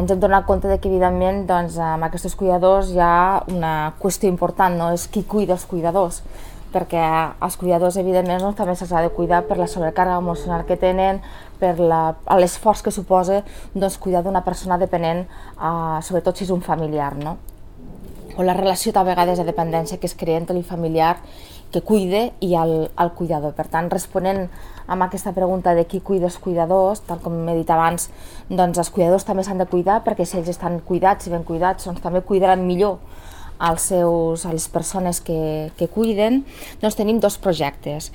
Ens hem donat compte que, evidentment, amb aquests cuidadors hi ha una qüestió important, no? És qui cuida els cuidadors, perquè els cuidadors, evidentment, també se'ls ha de cuidar per la sobrecàrrega emocional que tenen, per l'esforç que suposa cuidar d'una persona dependent, sobretot si és un familiar, no? O la relació a vegades de dependència que es crea entre el familiar que cuida i el cuidador. Per tant, responent a aquesta pregunta de qui cuida els cuidadors, tal com he dit abans, els cuidadors també s'han de cuidar, perquè si ells estan cuidats i ben cuidats, també cuidaran millor a les persones que cuiden. Tenim dos projectes.